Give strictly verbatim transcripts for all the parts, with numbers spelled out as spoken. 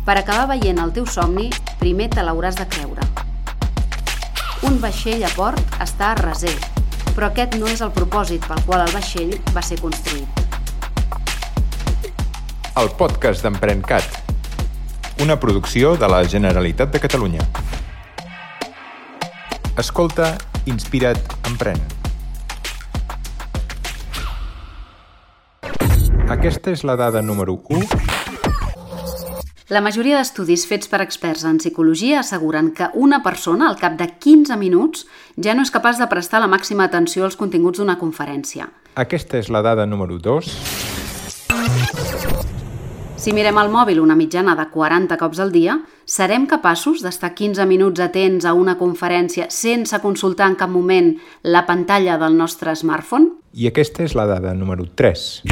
Per acabar veient el teu somni, primer te l'hauràs de creure. Un vaixell a port està a reser, però aquest no és el propòsit pel qual el vaixell va ser construït. El podcast d'EmprenCat, una producció de la Generalitat de Catalunya. Escolta, inspira't, emprèn. Aquesta és la dada número u. La majoria d'estudis fets per experts en psicologia asseguren que una persona, al cap de quinze minuts, ja no és capaç de prestar la màxima atenció als continguts d'una conferència. Aquesta és la dada número dos. Si mirem el mòbil una mitjana de quaranta cops al dia, serem capaços d'estar quinze minuts atents a una conferència sense consultar en cap moment la pantalla del nostre smartphone? I aquesta és la dada número tres.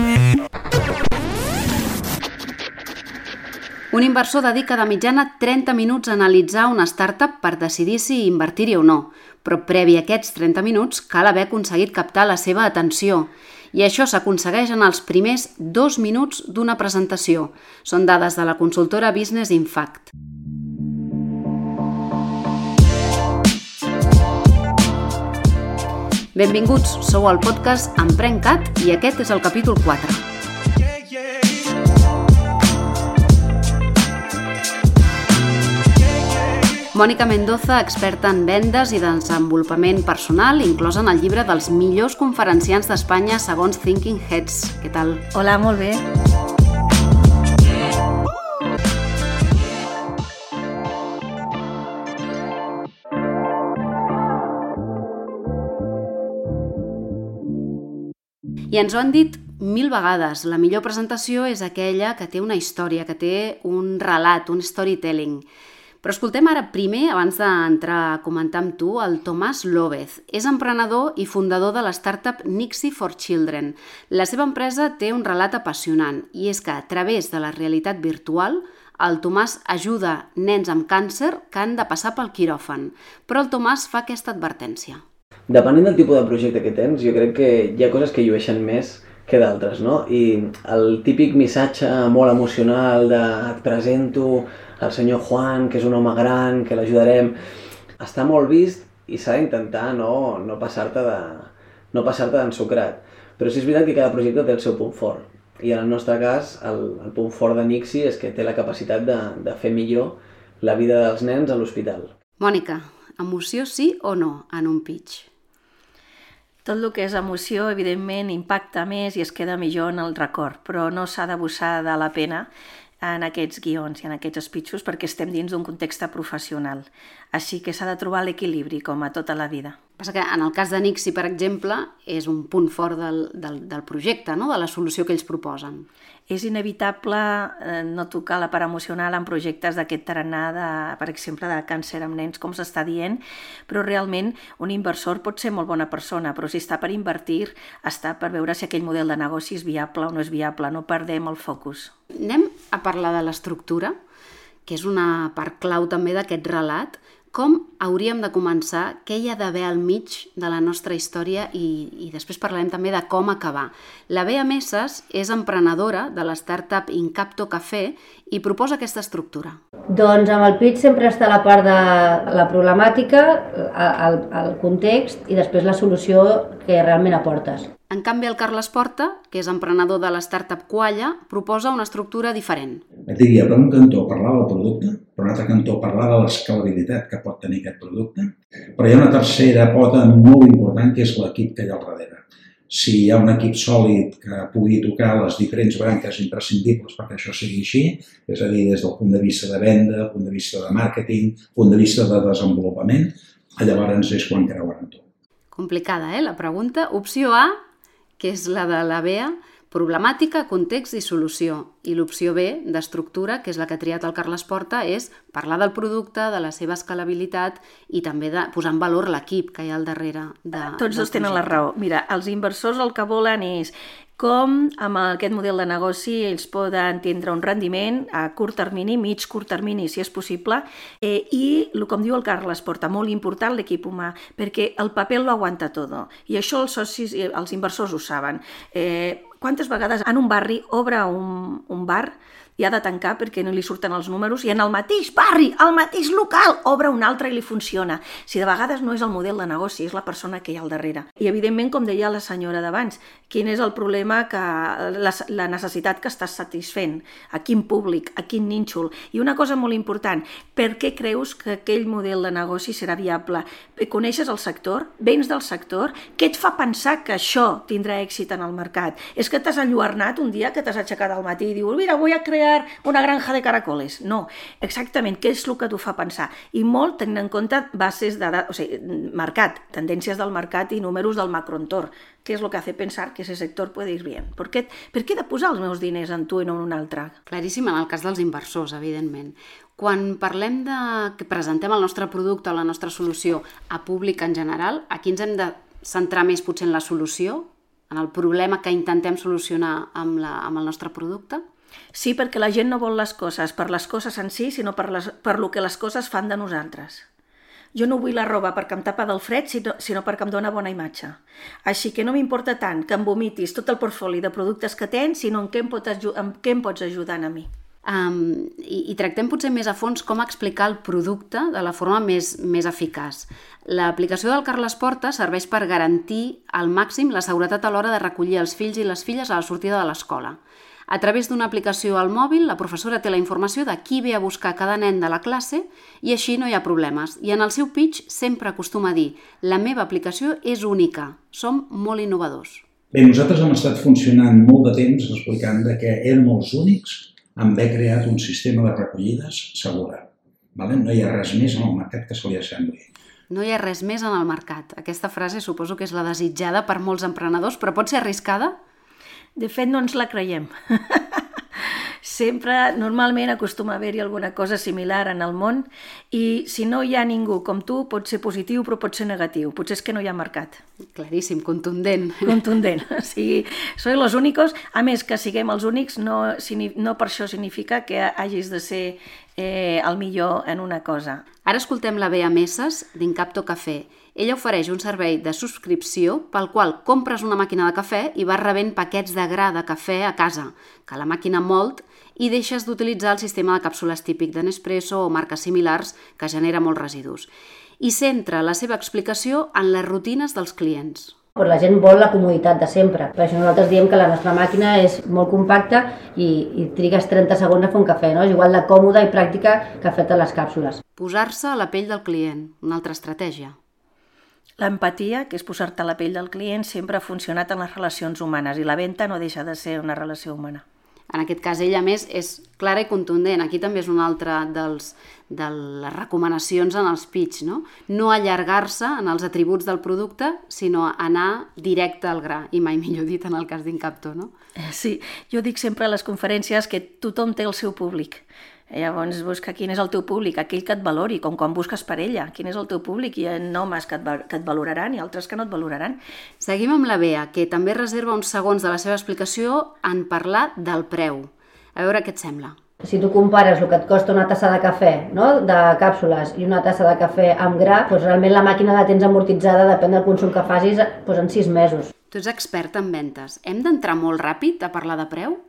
Un inversor dedica de mitjana trenta minuts a analitzar una startup per decidir si invertir-hi o no, però previ a aquests trenta minuts cal haver aconseguit captar la seva atenció. I això s'aconsegueix en els primers dos minuts d'una presentació. Són dades de la consultora Business Impact. Benvinguts, sou al podcast EmprenCat i aquest és el capítol quatre. Mònica Mendoza, experta en vendes i desenvolupament personal, inclosa en el llibre dels millors conferenciants d'Espanya segons Thinking Heads. Què tal? Hola, molt bé. I ens ho han dit mil vegades. La millor presentació és aquella que té una història, que té un relat, un storytelling. Però escoltem ara primer, abans d'entrar a comentar amb tu, el Tomàs López. És emprenedor i fundador de la startup Nixie for Children. La seva empresa té un relat apassionant i és que a través de la realitat virtual el Tomàs ajuda nens amb càncer que han de passar pel quiròfan. Però el Tomàs fa aquesta advertència. Depenent del tipus de projecte que tens, jo crec que hi ha coses que llueixen més que d'altres, no? I el típic missatge molt emocional de et presento el senyor Juan, que és un home gran, que l'ajudarem, està molt vist i s'ha d'intentar no, no passar-te de, no passar-te d'ensucrat. Però sí és veritat que cada projecte té el seu punt fort. I en el nostre cas, el, el punt fort de Nixie és que té la capacitat de, de fer millor la vida dels nens a l'hospital. Mònica, emoció sí o no en un pitch? Tot el que és emoció, evidentment, impacta més i es queda millor en el record, però no s'ha d'abusar de la pena en aquests guions i en aquests speeches perquè estem dins d'un context professional. Així que s'ha de trobar l'equilibri, com a tota la vida. Passa que en el cas de Nixie, per exemple, és un punt fort del, del, del projecte, no? De la solució que ells proposen. És inevitable eh, no tocar la part emocional en projectes d'aquest tarannà, de, per exemple, de càncer amb nens, com s'està dient, però realment un inversor pot ser molt bona persona, però si està per invertir, està per veure si aquell model de negoci és viable o no és viable, no perdem el focus. Anem a parlar de l'estructura, que és una part clau també d'aquest relat. Com hauríem de començar? Què hi ha d'haver al mig de la nostra història? I, i després parlarem també de com acabar. La Bea Messes és emprenedora de la startup Incapto Café i proposa aquesta estructura. Doncs amb el pitch sempre està la part de la problemàtica, el, el context i després la solució que realment aportes. En canvi, el Carles Porta, que és emprenedor de la startup Qualla, proposa una estructura diferent. Et diria, per un cantó parlar del producte, per un altre cantó parlar de l'escalabilitat que pot tenir aquest producte, però hi ha una tercera pota molt important que és l'equip que hi ha al darrere. Si hi ha un equip sòlid que pugui tocar les diferents branques imprescindibles perquè això sigui així, és a dir, des del punt de vista de venda, punt de vista de màrqueting, punt de vista de desenvolupament, llavors és quan creuaran tot. Complicada, eh, la pregunta. Opció A, que és la de la Bea, problemàtica, context i solució. I l'opció B, d'estructura, que és la que ha triat el Carles Porta, és parlar del producte, de la seva escalabilitat i també de posar en valor l'equip que hi ha al darrere. De, Tots dos tenen la raó. Mira, els inversors el que volen és com amb aquest model de negoci ells poden tindre un rendiment a curt termini, mig curt termini, si és possible, eh, i, com diu el Carles Porta, molt important l'equip humà, perquè el paper lo aguanta tot. I això els socis, els inversors ho saben. Eh, quantes vegades en un barri obre un, un bar i ha de tancar perquè no li surten els números, i en el mateix barri, al mateix local, obre un altre i li funciona. Si de vegades no és el model de negoci, és la persona que hi ha al darrere. I evidentment, com deia la senyora d'abans, quin és el problema, que la, la necessitat que estàs satisfent, a quin públic, a quin nínxol. I una cosa molt important, per què creus que aquell model de negoci serà viable? Coneixes el sector? Vens del sector? Què et fa pensar que això tindrà èxit en el mercat? És que t'has enlluernat un dia que t'has aixecat al matí i dius, mira, vull crear una granja de caracoles. No, exactament, què és el que t'ho fa pensar? I molt tenint en compte bases de, o sigui, mercat, tendències del mercat i números del macroentorn, que és el que hace pensar que ese sector puede ir bien. Per què, per què he de posar els meus diners en tu i no en un altre? Claríssim en el cas dels inversors, evidentment. Quan parlem de que presentem el nostre producte o la nostra solució a públic en general, aquí ens hem de centrar més potser en la solució, en el problema que intentem solucionar amb, la, amb el nostre producte? Sí, perquè la gent no vol les coses per les coses en si, sinó per, les, per lo que les coses fan de nosaltres. Jo no vull la roba perquè em tapa del fred, sinó, sinó perquè em dona bona imatge. Així que no m'importa tant que em vomitis tot el portfoli de productes que tens, sinó en què em, pot, en què em pots ajudar a mi. Um, i, i tractem potser més a fons com explicar el producte de la forma més, més eficaç. L'aplicació del Carles Porta serveix per garantir al màxim la seguretat a l'hora de recollir els fills i les filles a la sortida de l'escola. A través d'una aplicació al mòbil, la professora té la informació de qui ve a buscar cada nen de la classe i així no hi ha problemes. I en el seu pitch sempre acostuma a dir «La meva aplicació és única, som molt innovadors». Bé, nosaltres hem estat funcionant molt de temps explicant que érem els únics en haver creat un sistema de recollides segura. Vale? No hi ha res més en el mercat que se li assembli. No hi ha res més en el mercat. Aquesta frase suposo que és la desitjada per molts emprenedors, però pot ser arriscada? De fet, no ens la creiem. Sempre, normalment, acostuma a haver-hi alguna cosa similar en el món i si no hi ha ningú com tu, pot ser positiu però pot ser negatiu. Potser és que no hi ha mercat. Claríssim, contundent. Contundent. O sigui, sois los únicos. A més, que siguem els únics no, no per això significa que hagis de ser eh, el millor en una cosa. Ara escoltem la Bea Messes d'Incapto Cafè. Ella ofereix un servei de subscripció pel qual compres una màquina de cafè i vas rebent paquets de gra de cafè a casa, que la màquina molt, i deixes d'utilitzar el sistema de càpsules típic de Nespresso o marques similars que genera molts residus. I centra la seva explicació en les rutines dels clients. Però la gent vol la comoditat de sempre. Per això nosaltres diem que la nostra màquina és molt compacta i, i trigues trenta segons a fer un cafè, no? És igual de còmoda i pràctica que fer les càpsules. Posar-se a la pell del client, una altra estratègia. L'empatia, que és posar-te a la pell del client, sempre ha funcionat en les relacions humanes i la venda no deixa de ser una relació humana. En aquest cas, ella, a més, és clara i contundent. Aquí també és una altra dels, de les recomanacions en els pitch, no? No allargar-se en els atributs del producte, sinó anar directe al gra, i mai millor dit en el cas d'Incapto, no? Sí, jo dic sempre a les conferències que tothom té el seu públic. Llavors busca quin és el teu públic, aquell que et valori, com quan busques parella, quin és el teu públic. Hi ha homes que et, que et valoraran i altres que no et valoraran. Seguim amb la Bea, que també reserva uns segons de la seva explicació en parlar del preu. A veure què et sembla. Si tu compares el que et costa una tassa de cafè, no? De càpsules i una tassa de cafè amb gra, doncs realment la màquina la tens amortitzada, depèn del consum que facis, doncs en sis mesos. Tu ets expert en ventes. Hem d'entrar molt ràpid a parlar de preu?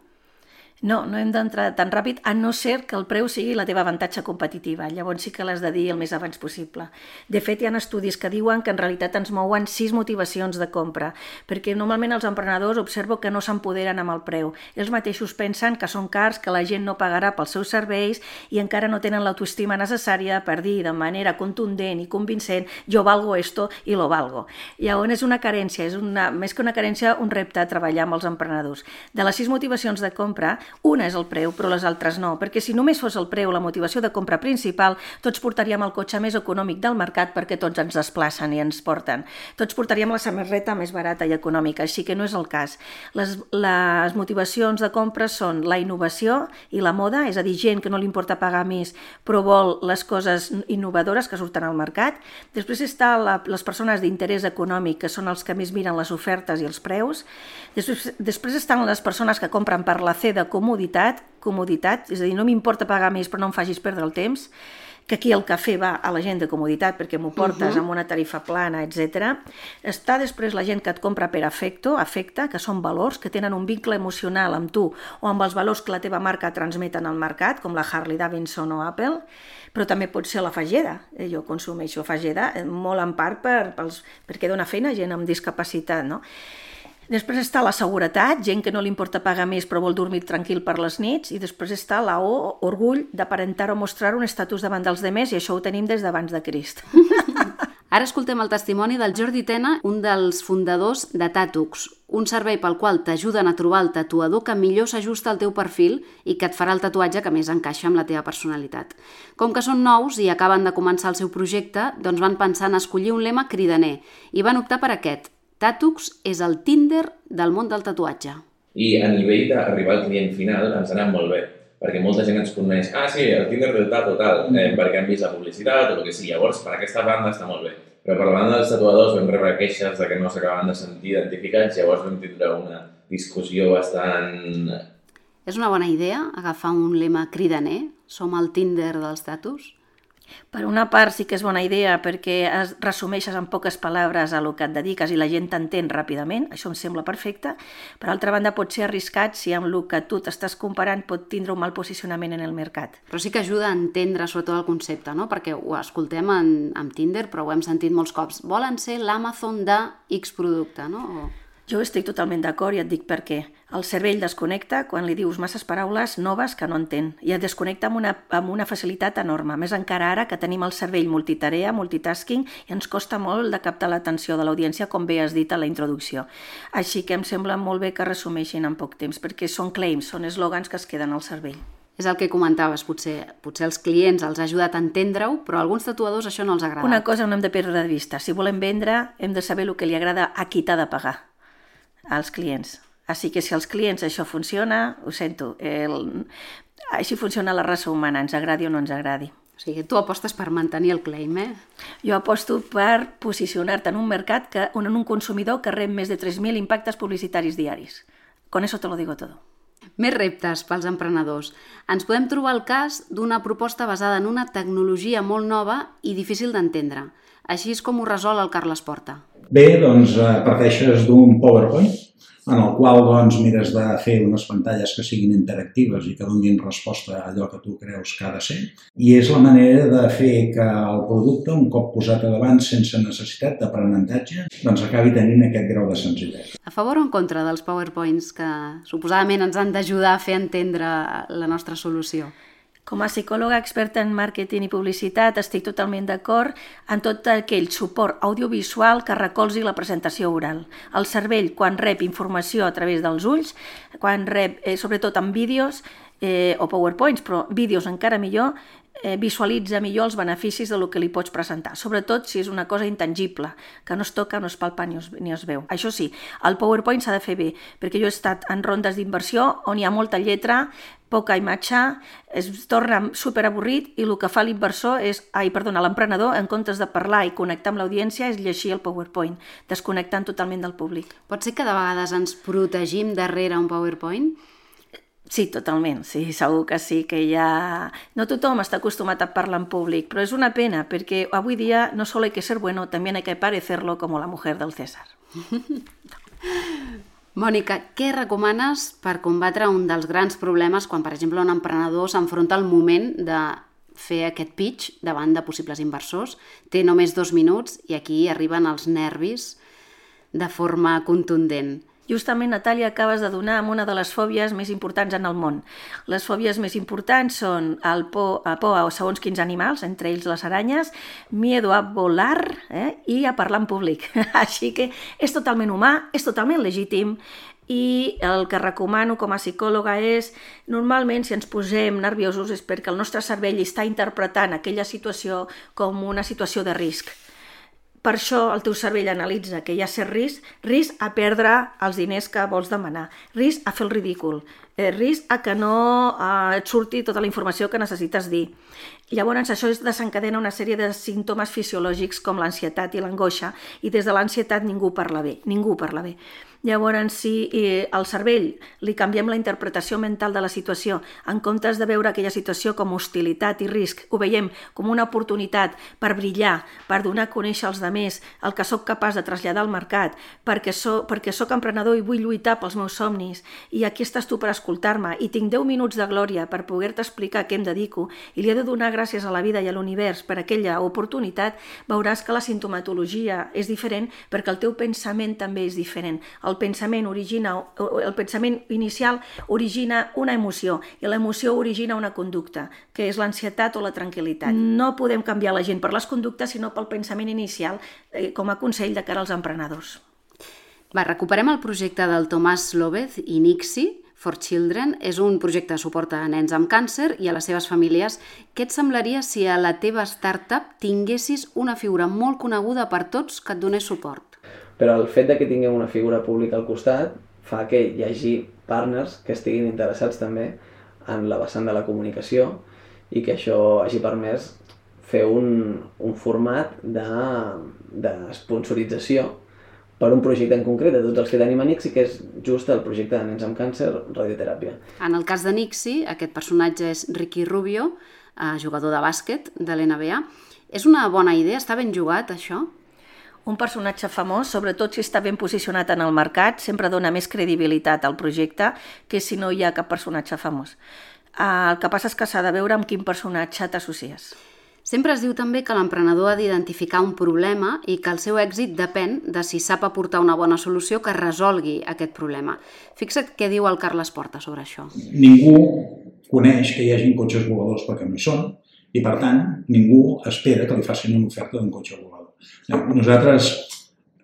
No, no hem d'entrar tan ràpid, a no ser que el preu sigui la teva avantatge competitiva. Llavors sí que l'has de dir el més abans possible. De fet, hi ha estudis que diuen que en realitat ens mouen sis motivacions de compra, perquè normalment els emprenedors observo que no s'empoderen amb el preu. Ells mateixos pensen que són cars, que la gent no pagarà pels seus serveis i encara no tenen l'autoestima necessària per dir de manera contundent i convincent jo valgo esto i lo valgo. Llavors és una carència, és una, més que una carència, un repte a treballar amb els emprenedors. De les sis motivacions de compra, una és el preu, però les altres no, perquè si només fos el preu la motivació de compra principal, tots portaríem el cotxe més econòmic del mercat perquè tots ens desplacen i ens porten. Tots portaríem la samarreta més barata i econòmica, així que no és el cas. Les, les motivacions de compra són la innovació i la moda, és a dir, gent que no li importa pagar més, però vol les coses innovadores que surten al mercat. Després està la, les persones d'interès econòmic, que són els que més miren les ofertes i els preus. Després, després estan les persones que compren per la C de comoditat, comoditat, és a dir, no m'importa pagar més però no em facis perdre el temps. que aquí el cafè va a la gent de comoditat perquè m'ho portes uh-huh. amb una tarifa plana, etcètera. Està després la gent que et compra per afecto, afecte, que són valors, que tenen un vincle emocional amb tu o amb els valors que la teva marca transmeten al mercat, com la Harley Davidson o Apple, però també pot ser la Fageda. Jo consumeixo Fageda molt en part per, pels, perquè dona feina a gent amb discapacitat, no? Després està la seguretat, gent que no li importa pagar més però vol dormir tranquil per les nits, i després està la O, orgull d'aparentar o mostrar un estatus davant dels demés, i això ho tenim des d'abans de Crist. Ara escoltem el testimoni del Jordi Tena, un dels fundadors de Tatux, un servei pel qual t'ajuden a trobar el tatuador que millor s'ajusta al teu perfil i que et farà el tatuatge que més encaixa amb la teva personalitat. Com que són nous i acaben de començar el seu projecte, doncs van pensar en escollir un lema cridaner i van optar per aquest: Tatux és el Tinder del món del tatuatge. I a nivell d'arribar al client final ens ha anat molt bé, perquè molta gent ens coneix, ah sí, el Tinder del tatu, tal, eh, perquè han vist la publicitat o el que sigui. Llavors, per aquesta banda està molt bé. Però per la banda dels tatuadors vam rebre queixes de que no s'acabaven de sentir identificats, llavors vam tindre una discussió bastant... És una bona idea agafar un lema cridaner? Som el Tinder dels tatus? Per una part sí que és bona idea perquè es resumeixes en poques paraules a lo que et dediques i la gent t'entén ràpidament, això em sembla perfecte. Per altra banda, pot ser arriscat si amb el que tu t'estàs comparant pot tindre un mal posicionament en el mercat. Però sí que ajuda a entendre sobretot el concepte, no? Perquè ho escoltem en, en Tinder, però ho hem sentit molts cops. Volen ser l'Amazon de X producte, no? O... Jo estic totalment d'acord i et dic per què. El cervell desconnecta quan li dius masses paraules noves que no entén i et desconnecta amb una, amb una facilitat enorme. Més encara ara que tenim el cervell multitarea, multitasking, i ens costa molt de captar l'atenció de l'audiència, com bé has dit a la introducció. Així que em sembla molt bé que resumeixin en poc temps, perquè són claims, són eslògans que es queden al cervell. És el que comentaves, potser, potser els clients els ha ajudat a entendre-ho, però a alguns tatuadors això no els agrada. Una cosa no hem de perdre de vista. Si volem vendre, hem de saber el que li agrada a qui t'ha de pagar, als clients. Així que si als clients això funciona, ho sento, el... així funciona la raça humana, ens agradi o no ens agradi. O sigui, tu apostes per mantenir el claim, eh? Jo aposto per posicionar-te en un mercat, que, en un consumidor que rep més de tres mil impactes publicitaris diaris. Con eso te lo digo todo. Més reptes pels emprenedors. Ens podem trobar el cas d'una proposta basada en una tecnologia molt nova i difícil d'entendre. Així és com ho resol el Carles Porta. Bé, doncs parteixes d'un PowerPoint en el qual doncs, mires de fer unes pantalles que siguin interactives i que donin resposta a allò que tu creus que ha de ser. I és la manera de fer que el producte, un cop posat a davant sense necessitat d'aprenentatge, doncs acabi tenint aquest grau de senzillesa. A favor o en contra dels PowerPoints que suposadament ens han d'ajudar a fer entendre la nostra solució? Com a psicòloga experta en màrqueting i publicitat estic totalment d'acord en tot aquell suport audiovisual que recolzi la presentació oral. El cervell, quan rep informació a través dels ulls, quan rep, eh, sobretot en vídeos eh, o PowerPoints, però vídeos encara millor, eh, visualitza millor els beneficis del que li pots presentar, sobretot si és una cosa intangible, que no es toca, no es palpa ni es, ni es veu. Això sí, el PowerPoint s'ha de fer bé, perquè jo he estat en rondes d'inversió on hi ha molta lletra, poca imatge, es torna superavorrit i el que fa l'inversor és, ai, perdona, l'emprenedor, en comptes de parlar i connectar amb l'audiència, és llegir el PowerPoint, desconnectant totalment del públic. Pot ser que de vegades ens protegim darrere un PowerPoint? Sí, totalment, sí, segur que sí, que ja... No tothom està acostumat a parlar en públic, però és una pena, perquè avui dia no solo hay que ser bueno, también hay que parecerlo como la mujer del César. Mònica, què recomanes per combatre un dels grans problemes quan, per exemple, un emprenedor s'enfronta al moment de fer aquest pitch davant de possibles inversors? Té només dos minuts i aquí arriben els nervis de forma contundent. Justament, Natàlia, acabes de donar amb una de les fòbies més importants en el món. Les fòbies més importants són el por, a por a segons quins animals, entre ells les aranyes, miedo a volar eh, i a parlar en públic. Així que és totalment humà, és totalment legítim, i el que recomano com a psicòloga és, normalment si ens posem nerviosos és perquè el nostre cervell està interpretant aquella situació com una situació de risc. Per això el teu cervell analitza que hi ha cert risc, risc a perdre els diners que vols demanar, risc a fer el ridícul, risc a que no et surti tota la informació que necessites dir. Llavors això desencadena una sèrie de símptomes fisiològics com l'ansietat i l'angoixa, i des de l'ansietat ningú parla bé, ningú parla bé. Llavors, si eh, al cervell li canviem la interpretació mental de la situació, en comptes de veure aquella situació com hostilitat i risc, ho veiem com una oportunitat per brillar, per donar a conèixer als altres el que sóc capaç de traslladar al mercat, perquè, so, perquè sóc emprenedor i vull lluitar pels meus somnis, i aquí estàs tu per escoltar-me, i tinc deu minuts de glòria per poder-te explicar a què em dedico, i li he de donar gràcies a la vida i a l'univers per aquella oportunitat, veuràs que la sintomatologia és diferent perquè el teu pensament també és diferent. El pensament origina, el pensament inicial origina una emoció i l'emoció origina una conducta, que és l'ansietat o la tranquil·litat. No podem canviar la gent per les conductes, sinó pel pensament inicial, eh, com a consell de cara als emprenedors. Va, recuperem el projecte del Tomàs López i Nixi for Children. És un projecte de suport a nens amb càncer i a les seves famílies. Què et semblaria si a la teva startup tinguessis una figura molt coneguda per tots que et donés suport? Però el fet de que tinguem una figura pública al costat fa que hi hagi partners que estiguin interessats també en la vessant de la comunicació i que això hagi permès fer un, un format de, de sponsorització per un projecte en concret de tots els que tenim a Nixi, que és just el projecte de nens amb càncer, radioteràpia. En el cas de Nixi, aquest personatge és Ricky Rubio, eh, jugador de bàsquet de l'N B A. És una bona idea? Està ben jugat, això? Un personatge famós, sobretot si està ben posicionat en el mercat, sempre dona més credibilitat al projecte que si no hi ha cap personatge famós. El que passa és que s'ha de veure amb quin personatge t'associes. Sempre es diu també que l'emprenedor ha d'identificar un problema i que el seu èxit depèn de si sap aportar una bona solució que resolgui aquest problema. Fixa't què diu el Carles Porta sobre això. Ningú coneix que hi hagi cotxes voladors perquè no hi són i, per tant, ningú espera que li facin una oferta d'un cotxe volador. Nosaltres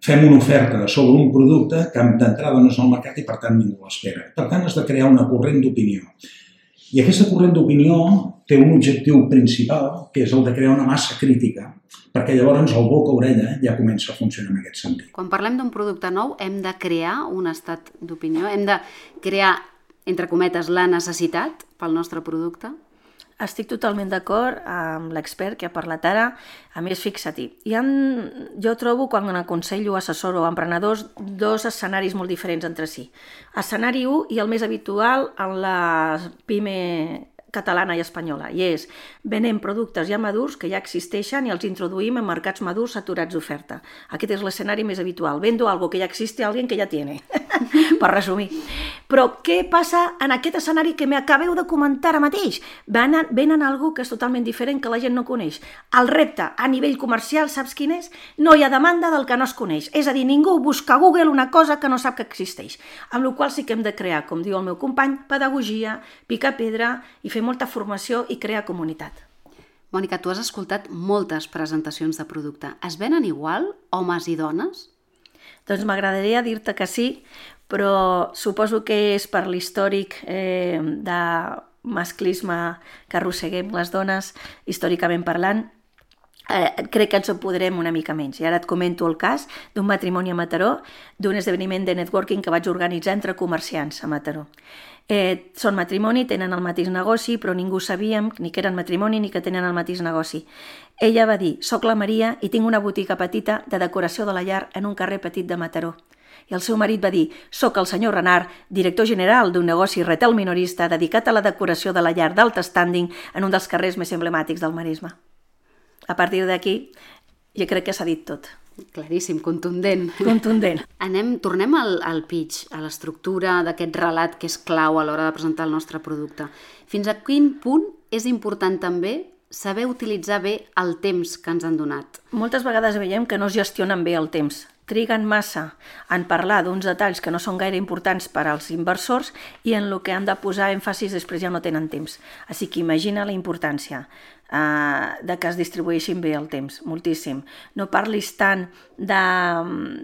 fem una oferta sobre un producte que d'entrada no és al mercat i, per tant, ningú l'espera. Per tant, has de crear una corrent d'opinió. I aquesta corrent d'opinió té un objectiu principal, que és el de crear una massa crítica, perquè llavors el boca-orella ja comença a funcionar en aquest sentit. Quan parlem d'un producte nou, hem de crear un estat d'opinió? Hem de crear, entre cometes, la necessitat pel nostre producte? Estic totalment d'acord amb l'expert que ha parlat ara. A més, fixa-t'hi, hi ha, jo trobo, quan aconsello, assessoro a emprenedors, dos escenaris molt diferents entre si. Escenari u i el més habitual en la pime catalana i espanyola, i és venem productes ja madurs que ja existeixen i els introduïm en mercats madurs saturats d'oferta. Aquest és l'escenari més habitual. Vendo algo que ja existe a alguien que ja tiene, per resumir. Però què passa en aquest escenari que m'acabeu de comentar ara mateix? Venen, venen algo que és totalment diferent, que la gent no coneix. El repte a nivell comercial, saps quin és? No hi ha demanda del que no es coneix. És a dir, ningú busca a Google una cosa que no sap que existeix. Amb la qual sí que hem de crear, com diu el meu company, pedagogia, picar pedra i fer molta formació i crear comunitat. Mònica, tu has escoltat moltes presentacions de producte. Es venen igual, homes i dones? Doncs m'agradaria dir-te que sí, però suposo que és per l'històric eh, de masclisme que arrosseguem les dones, històricament parlant. Eh, crec que ens empoderem una mica menys. I ara et comento el cas d'un matrimoni a Mataró, d'un esdeveniment de networking que vaig organitzar entre comerciants a Mataró. Eh, són matrimoni, tenen el mateix negoci, però ningú sabíem ni que eren matrimoni ni que tenen el mateix negoci. Ella va dir, soc la Maria i tinc una botiga petita de decoració de la llar en un carrer petit de Mataró. I el seu marit va dir, soc el senyor Renard, director general d'un negoci retail minorista dedicat a la decoració de la llar d'alt standing en un dels carrers més emblemàtics del Maresme. A partir d'aquí, jo crec que s'ha dit tot. Claríssim, contundent. Contundent. Anem, tornem al, al pitch, a l'estructura d'aquest relat que és clau a l'hora de presentar el nostre producte. Fins a quin punt és important també saber utilitzar bé el temps que ens han donat? Moltes vegades veiem que no es gestionen bé el temps. Triguen massa en parlar d'uns detalls que no són gaire importants per als inversors i en el que han de posar èmfasis després ja no tenen temps. Així que imagina la importància Uh, de que es distribueixin bé el temps, moltíssim. No parlis tant de,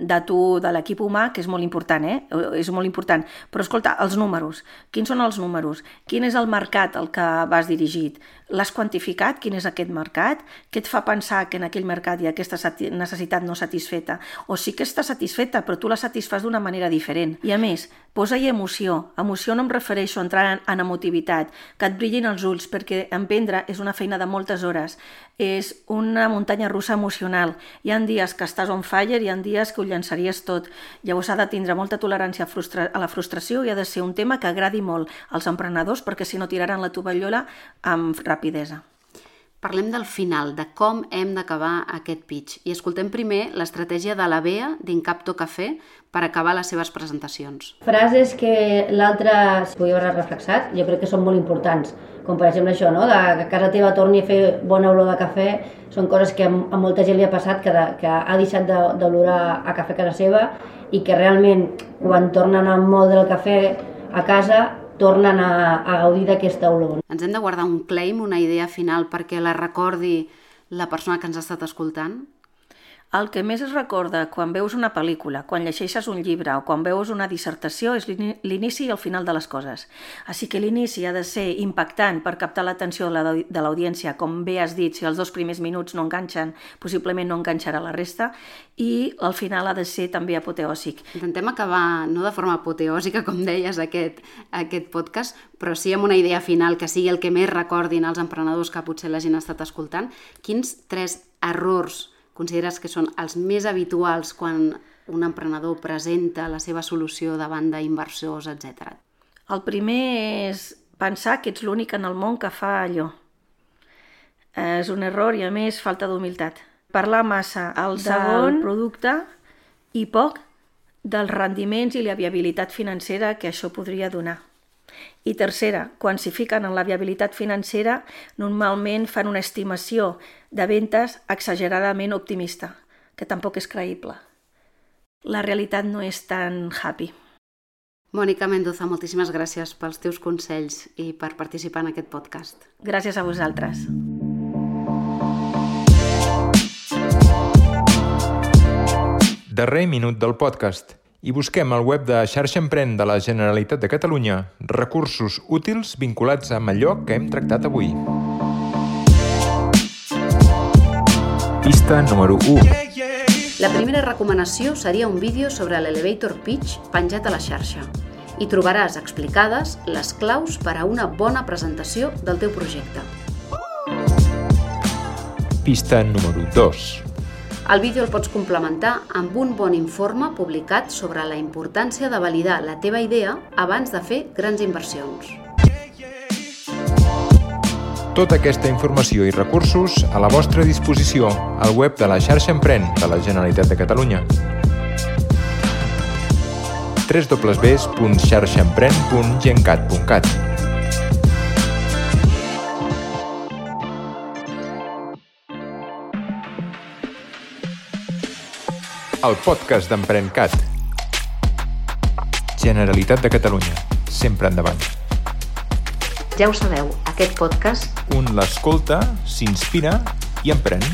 de tu, de l'equip humà, que és molt important, eh? És molt important. Però escolta, els números. Quins són els números? Quin és el mercat al que vas dirigit? L'has quantificat? Quin és aquest mercat? Què et fa pensar que en aquell mercat hi ha aquesta necessitat no satisfeta? O sí que està satisfeta, però tu la satisfas d'una manera diferent. I a més, posa-hi emoció. Emoció no em refereixo a entrar en, en emotivitat, que et brillin els ulls, perquè emprendre és una feina de molt moltes hores. És una muntanya russa emocional. Hi ha dies que estàs on fire, hi ha dies que ho llançaries tot. Llavors ha de tindre molta tolerància a, frustra- a la frustració i ha de ser un tema que agradi molt als emprenedors perquè si no tiraran la tovallola amb rapidesa. Parlem del final, de com hem d'acabar aquest pitch. I escoltem primer l'estratègia de la Bea d'Incapto Café per acabar les seves presentacions. Frases que l'altre es podia haver reflexat, jo crec que són molt importants. Com per exemple això, no? De que a casa teva torni a fer bona olor de cafè, són coses que a molta gent li ha passat, que, de, que ha deixat d'olorar a cafè a casa seva i que realment quan tornen a moldre el cafè a casa tornen a, a gaudir d'aquesta olor. Ens hem de guardar un claim, una idea final perquè la recordi la persona que ens ha estat escoltant? El que més es recorda quan veus una pel·lícula, quan llegeixes un llibre o quan veus una dissertació és l'inici i el final de les coses. Així que l'inici ha de ser impactant per captar l'atenció de l'audiència, com bé has dit, si els dos primers minuts no enganxen, possiblement no enganxarà la resta, i el final ha de ser també apoteòsic. Intentem acabar, no de forma apoteòsica, com deies, aquest, aquest podcast, però sí amb una idea final que sigui el que més recordin els emprenedors que potser la gent ha estat escoltant. Quins tres errors consideres que són els més habituals quan un emprenedor presenta la seva solució davant d'inversors, etcètera? El primer és pensar que ets l'únic en el món que fa allò. És un error i, a més, falta d'humilitat. Parlar massa el segon producte i poc dels rendiments i la viabilitat financera que això podria donar. I tercera, quan s'hi fiquen en la viabilitat financera, normalment fan una estimació de ventes exageradament optimista, que tampoc és creïble. La realitat no és tan happy. Mònica Mendoza, moltíssimes gràcies pels teus consells i per participar en aquest podcast. Gràcies a vosaltres. Darrer minut del podcast. I busquem al web de Xarxa Emprèn de la Generalitat de Catalunya recursos útils vinculats amb allò que hem tractat avui. Pista número u. La primera recomanació seria un vídeo sobre l'Elevator Pitch penjat a la xarxa. Hi trobaràs explicades les claus per a una bona presentació del teu projecte. Pista número dos. El vídeo el pots complementar amb un bon informe publicat sobre la importància de validar la teva idea abans de fer grans inversions. Tota aquesta informació i recursos a la vostra disposició al web de la Xarxa Emprèn de la Generalitat de Catalunya. w w w punt xarxaemprèn punt gencat punt cat. El podcast d'EmprenCat. Generalitat de Catalunya. Sempre endavant. Ja ho sabeu, aquest podcast Un l'escolta, s'inspira i emprèn.